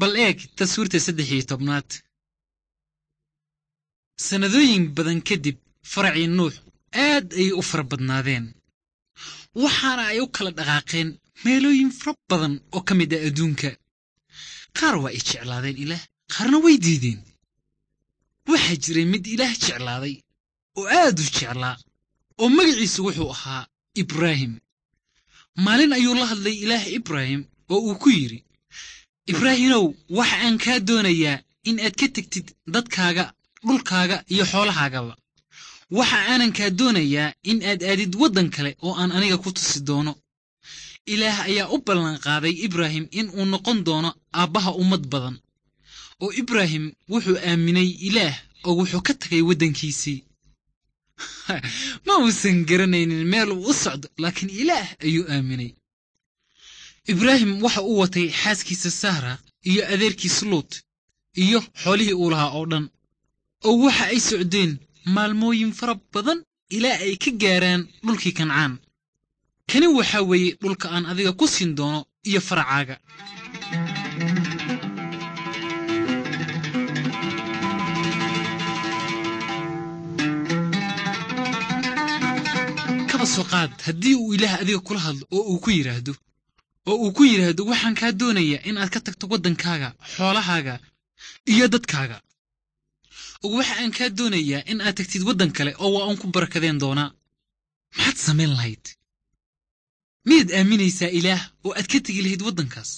Bal eeg taswiirta 13aad. Sannadooyin badan kadib faracii Nuux aad ayay u fara badnaadeen, waxaana ay u kala dhaqaaqeen meelooyin fara badan oo ka mid ah adduunka. Qaar waa ay jeclaadeen Ilaah, qaarna way diideen. Waxaa jiray mid Ilaah jeclaaday oo aad u jeclaa, oo magaciisu wuxuu ahaa Ibraahim. Maalin ayuu la hadlay Ilaah Ibraahim oo uu ku yidhi, Ibraahimow, waxa aan kaa doonayaa in aad ka tegtid dadkaaga, dhulkaaga iyo xoolahaagaba. Waxa aanan kaa doonayaa in aad aadid waddan kale oo aan aniga ku tusi doono. Ilaah ayaa u ballanqaaday Ibraahim in uu noqon doono aabbaha ummad badan. Oo Ibraahim wuxuu aaminay Ilaah oo wuxuu ka tagay waddankiisii. Ma uusan garanaynin meel uu u socdo, laakiin Ilaah ayuu aaminay. Ibraahim waxa uu watay xaaskiisa Sahra iyo adeerkiis Luut iyo xoolihii uu lahaa oo dhan. Oo waxa ay socdeen maalmooyin fara badan ilaa ay ka gaaraan dhulkii Kancaan. Kani waxaa weeye dhulka aan adiga ku siin doono iyo faracaaga. Kaba soo qaad haddii uu Ilaah adiga kula hadlo oo uu ku yidhaahdo waxaan kaa doonayaa in aad ka tagto waddankaaga, xoolahaaga iyo dadkaaga. Waxa aan kaa doonayaa in aad tagtid waddan kale oo waa uun ku barakadeen doonaa. Maxaad samayn lahayd? Miyaad aaminaysaa Ilaah oo aad ka tegi lahayd waddankaas?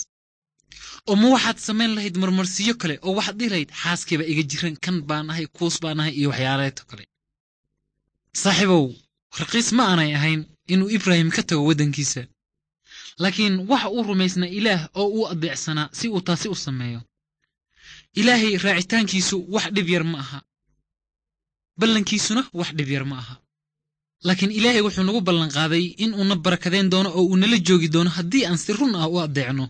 Oo ma waxaad samayn lahayd marmarsiyo kale oo waxaad dhihi lahayd xaaskayba iga jiran, kan baan ahay, kuus baan ahay iyo waxyaaleeto kale? Saaxiibow, raqiis ma aanay ahayn inuu Ibraahim ka tago waddankiisa, laakiin waxa uu rumaysnaa Ilaah oo uu adeecsanaa si uu taasi u sameeyo. Ilaahay raacitaankiisu wax dhib yar ma aha, ballankiisuna wax dhib yar ma aha. Laakiin Ilaahay wuxuu nagu ballanqaaday in uuna barakadeen doono oo uu nala joogi doono haddii aan si run ah u addeecno.